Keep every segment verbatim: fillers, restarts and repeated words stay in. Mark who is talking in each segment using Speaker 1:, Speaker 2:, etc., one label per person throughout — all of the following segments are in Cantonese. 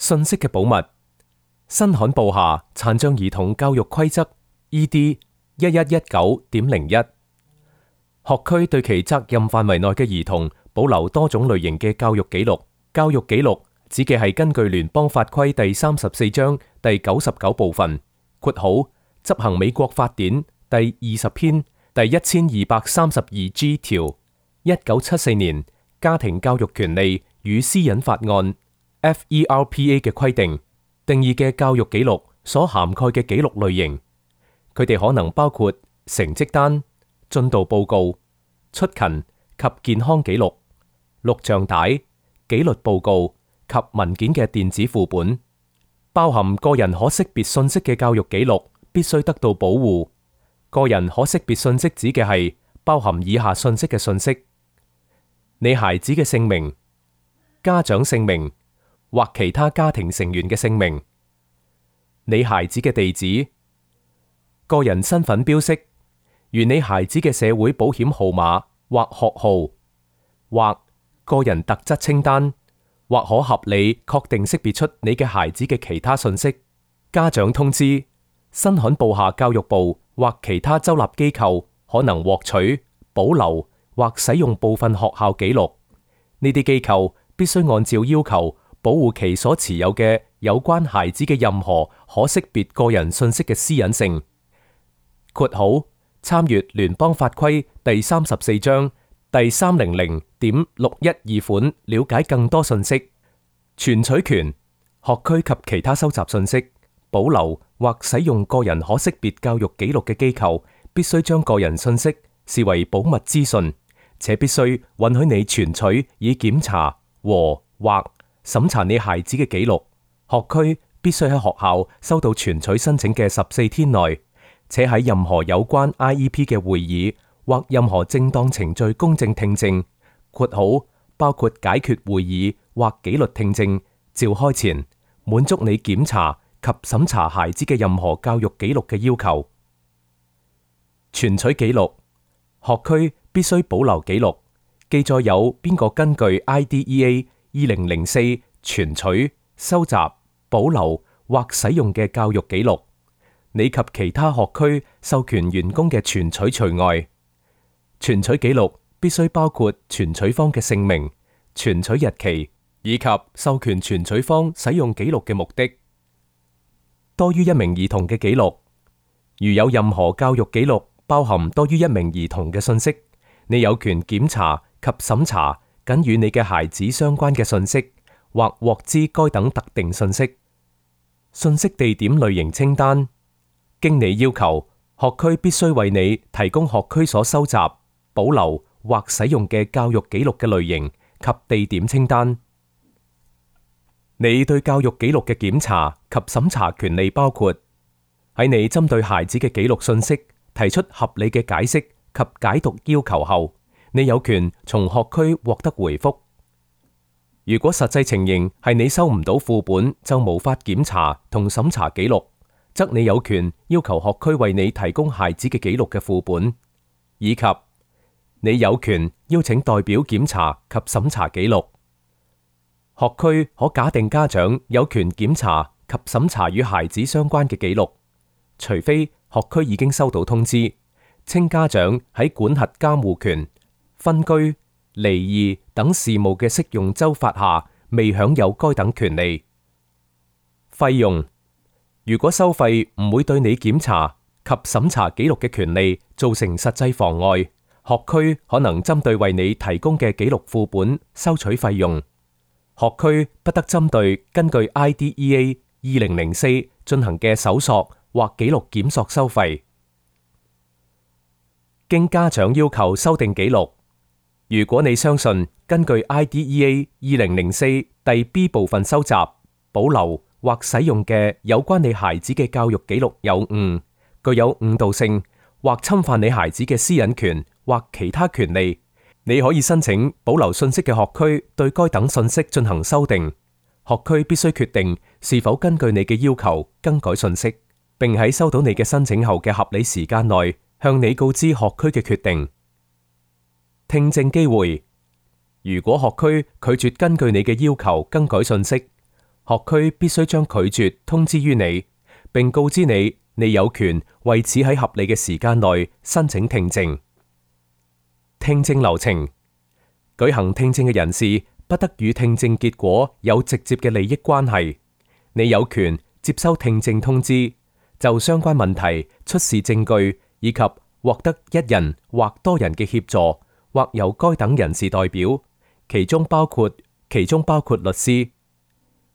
Speaker 1: 信息嘅保密。新罕布夏殘障兒童教育規則 E D 一一一九點零一，學區對其責任範圍內嘅兒童保留多種類型嘅教育記錄。教育記錄指嘅係根據聯邦法規第三十四章第九十九部分括號執行美國法典第二十篇第一千二百三十二 G 條，一九七四年家庭教育權利與私隱法案 F E R P A 嘅規定定義嘅教育記錄所涵蓋嘅記錄類型。佢哋可能包括成績單、進度報告、出勤及健康記錄、錄像帶、紀律報告及文件嘅電子副本。包含個人可識別信息嘅教育記錄必須得到保護。個人可識別信息指嘅係包含以下信息嘅信息：你孩子嘅姓名、家長姓名或其他家庭成員嘅姓名、你孩子嘅地址、個人身份標識，如你孩子嘅社會保險號碼或學號，或個人特質清單，或可合理確定識別出你嘅孩子嘅其他信息。家長通知、新罕布夏教育部或其他州立機構可能獲取、保留或使用部分學校記錄。呢啲機構必須按照要求保護其所持有嘅有關孩子嘅任何可識別個人信息嘅私隱性。括號參閱聯邦法規第三十四章第三零零點六一二款，了解更多信息。存取權：學區及其他收集信息、保留或使用個人可識別教育記錄嘅機構，必須將個人信息視為保密資訊，且必須允許你存取以檢查和或審查你孩子嘅記錄。學區必須喺學校收到存取申請嘅十四天內，且喺任何有關 I E P 嘅會議或任何正當程序公正聽證（括號包括解決會議或紀律聽證）召開前，滿足你檢查及審查孩子嘅任何教育記錄嘅要求。存取記錄：學區必須保留記錄，記載有邊個根據 I D E A 二零零四存取、收集、保留或使用嘅教育記錄。你及其他學區授權員工嘅存取除外。存取記錄必須包括存取方嘅姓名、存取日期以及授權存取方使用記錄嘅目的。多於一名兒童嘅記錄：如有任何教育記錄包含多於一名兒童嘅信息，你有權檢查及審查僅與你嘅孩子相關嘅信息，或獲知該等特定信息。信息地點類型清單：經你要求，學區必須為你提供學區所收集、保留或使用嘅教育記錄嘅類型及地點清單。你對教育記錄嘅檢查及審查權利包括喺你針對孩子嘅記錄信息提出合理嘅解釋及解讀要求後，你有權從學區獲得回覆。如果實際情形係你收唔到副本就無法檢查同審查記錄，則你有權要求學區為你提供孩子嘅記錄嘅副本，以及你有權邀請代表檢查及審查記錄。學區可假定家長有權檢查及審查與孩子相關嘅記錄，除非學區已經收到通知，稱家長喺管轄監護權、分居、離異等事務嘅適用州法下未享有該等權利。費用：如果收費唔會對你檢查及審查記錄嘅權利造成實際妨礙，學區可能針對為你提供嘅記錄副本收取費用。學區不得針對根據 I D E A 二零零四進行嘅搜索或記錄檢索收費。經家長要求修訂記錄，如果你相信根據 I D E A 二零零四第 B 部分收集、保留或使用嘅有關你孩子嘅教育記錄有誤、具有誤導性或侵犯你孩子嘅私隱權或其他權利，你可以申請保留信息嘅學區對該等信息進行修訂。學區必須決定是否根據你嘅要求更改信息，並喺收到你嘅申請後嘅合理時間內向你告知學區嘅決定。聽證機會：如果學區拒絕根據你嘅要求更改信息，學區必須將拒絕通知於你，並告知你你有權為此喺合理嘅時間內申請聽證。聽證流程：舉行聽證嘅人士不得與聽證結果有直接嘅利益關係。你有權接收聽證通知，就相關問題出示證據，以及獲得一人或多人嘅協助，或由該等人士代表，其中包括其中包括律師。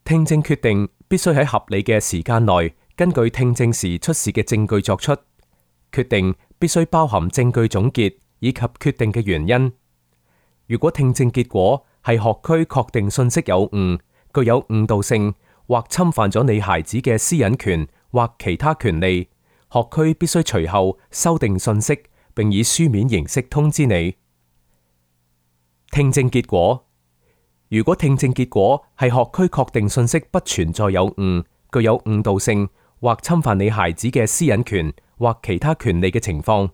Speaker 1: 聽證決定必須喺合理嘅時間內，根據聽證時出示嘅證據作出。決定必須包含證據總結以及決定嘅原因。如果聽證結果係學區確定信息有誤、具有誤導性或侵犯咗你孩子嘅私隱權或其他權利，學區必須隨後修訂信息，並以書面形式通知你。聽證結果：如果聽證結果係學區確定信息不存在有誤、具有誤導性或侵犯你孩子嘅私隱權或其他權利嘅情況，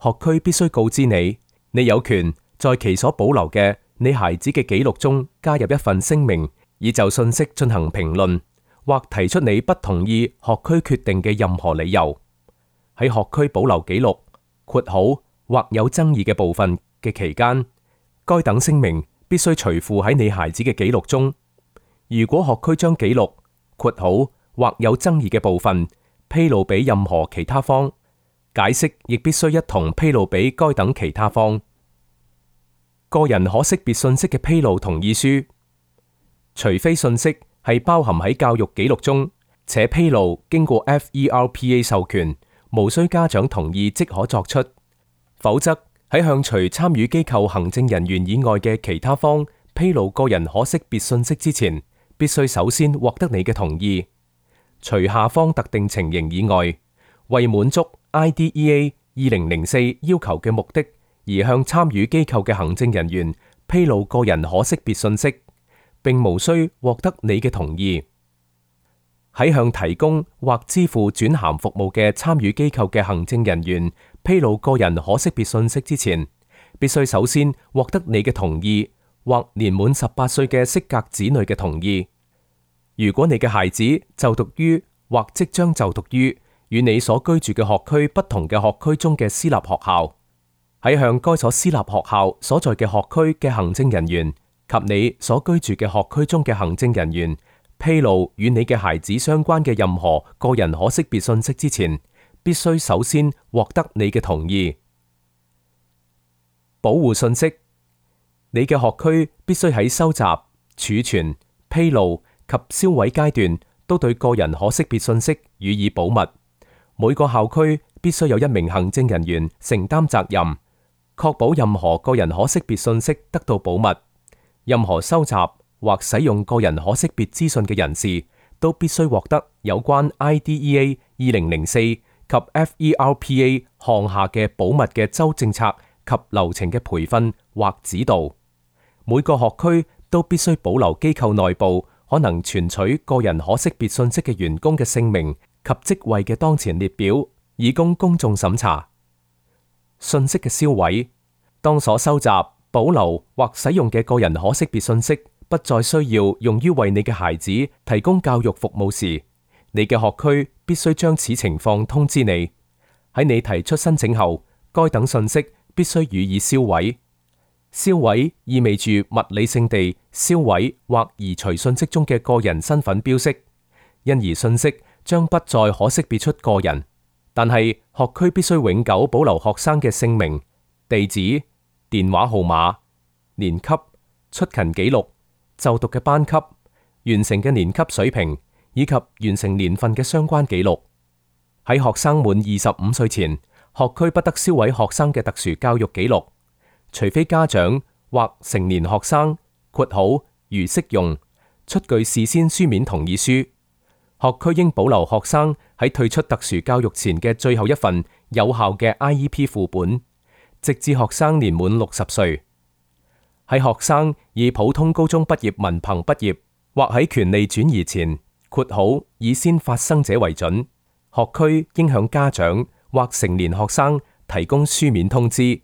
Speaker 1: 學區必須告知你，你有權在其所保留嘅你孩子嘅記錄中加入一份聲明，以就信息進行評論，或提出你不同意學區決定嘅任何理由。喺學區保留記錄（括號或有爭議嘅部分）嘅期間，該等聲明必須隨附喺你孩子嘅記錄中。如果學區將記錄（括號或有爭議嘅部分）披露俾任何其他方，解釋亦必須一同披露俾該等其他方。個人可識別信息嘅披露同意書，除非信息係包含喺教育記錄中，且披露經過 F E R P A 授權，無需家長同意即可作出，否則喺向除參與機構行政人員以外嘅其他方披露個人可識別信息之前，必須首先獲得你嘅同意。除下方特定情形以外，為滿足 I D E A 二零零四要求嘅目的而向參與機構嘅行政人員披露個人可識別信息，並無需獲得你嘅同意。喺向提供或支付轉函服務嘅參與機構嘅行政人員披露個人可識別信息之前，必須首先獲得你嘅同意，或年滿十八歲嘅適格子女嘅同意。如果你嘅孩子就讀於或即將就讀於與你所居住嘅學區不同嘅學區中嘅私立學校，喺向該所私立學校所在嘅學區嘅行政人員及你所居住嘅學區中嘅行政人員披露與你嘅孩子相關嘅任何個人可識別信息之前，必須首先獲得你嘅同意。保護信息，你嘅學區必須喺收集、儲存、披露及銷毀階段都對個人可識別信息予以保密。每個校區必須有一名行政人員承擔責任，確保任何個人可識別信息得到保密。任何收集或使用個人可識別資訊嘅人士都必須獲得有關 I D E A 二零零四及 F E R P A 項下嘅保密嘅州政策及流程嘅培訓或指導。每個學區都必須保留機構內部可能存取個人可識別信息嘅員工嘅姓名及職位嘅當前列表，以供公眾審查。信息嘅銷毀，當所收集、保留或使用嘅個人可識別信息不再需要用於為你嘅孩子提供教育服務時，你嘅學區必須將此情況通知你。喺你提出申請後，該等信息必須予以銷毀。銷毀意味住物理性地銷毀或移除信息中嘅個人身份標識，因而信息將不再可識別出個人。但係學區必須永久保留學生嘅姓名、地址、電話號碼、年級、出勤記錄、就讀嘅班級、完成嘅年級水平以及完成年份嘅相關記錄。喺學生滿二十五歲前，學區不得銷毀學生嘅特殊教育記錄，除非家長或成年學生（括號如適用）出具事先書面同意書。學區應保留學生喺退出特殊教育前嘅最後一份有效嘅 I E P 副本，直至學生年滿六十歲。喺學生以普通高中畢業文憑畢業或喺權利轉移前（括號以先發生者為準），學區應向家長或成年學生提供書面通知，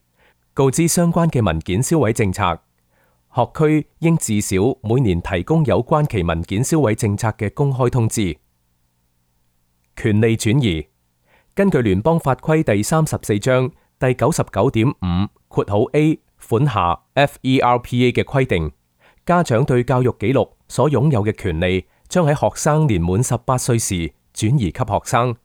Speaker 1: 告知相關嘅文件銷毀政策。學區應至少每年提供有關其文件銷毀政策嘅公開通知。權利轉移，根據聯邦法規第三十四章第九十九點五括號 A 款下 F E R P A 嘅規定，家長對教育記錄所擁有嘅權利將喺學生年滿十八歲時轉移給學生。